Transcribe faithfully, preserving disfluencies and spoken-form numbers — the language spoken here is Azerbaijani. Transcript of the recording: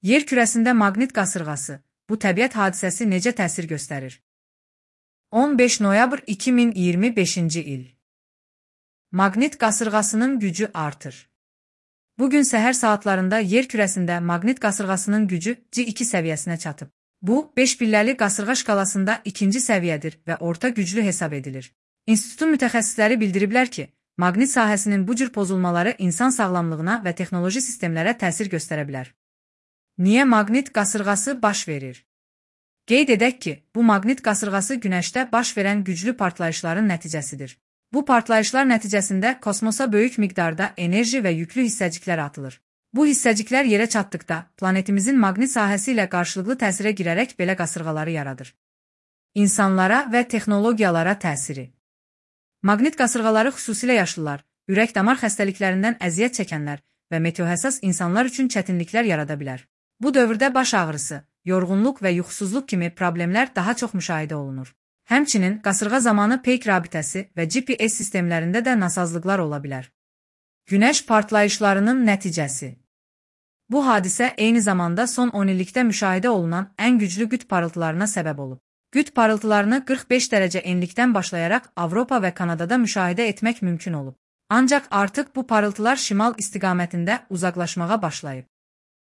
Yer kürəsində maqnit qasırğası, bu təbiət hadisəsi necə təsir göstərir? on beş noyabr iki min iyirmi beşinci il. Maqnit qasırğasının gücü artır. Bugün səhər saatlarında yer kürəsində maqnit qasırğasının gücü C iki səviyyəsinə çatıb. Bu, beş pilləli qasırğa şkalasında ikinci səviyyədir və orta güclü hesab edilir. İnstitutun mütəxəssisləri bildiriblər ki, maqnit sahəsinin bu cür pozulmaları insan sağlamlığına və texnoloji sistemlərə təsir göstərə bilər. Niyə maqnit qasırğası baş verir? Qeyd edək ki, bu maqnit qasırğası Günəşdə baş verən güclü partlayışların nəticəsidir. Bu partlayışlar nəticəsində kosmosa böyük miqdarda enerji və yüklü hissəciklər atılır. Bu hissəciklər yerə çatdıqda, planetimizin maqnit sahəsi ilə qarşılıqlı təsirə girərək belə qasırğaları yaradır. İnsanlara və texnologiyalara təsiri. Maqnit qasırğaları xüsusilə yaşlılar, ürək-damar xəstəliklərindən əziyyət çəkənlər və meteohəssas insanlar üçün çətinliklər yarada bilər. Bu dövrdə baş ağrısı, yorğunluq və yuxusuzluq kimi problemlər daha çox müşahidə olunur. Həmçinin, qasırğa zamanı peyk rabitəsi və G P S sistemlərində də nasazlıqlar ola bilər. Günəş partlayışlarının nəticəsi. Bu hadisə eyni zamanda son on illikdə müşahidə olunan ən güclü qütb parıltılarına səbəb olub. Qütb parıltılarını qırx beş dərəcə enlikdən başlayaraq Avropa və Kanadada müşahidə etmək mümkün olub. Ancaq artıq bu parıltılar şimal istiqamətində uzaqlaşmağa başlayıb.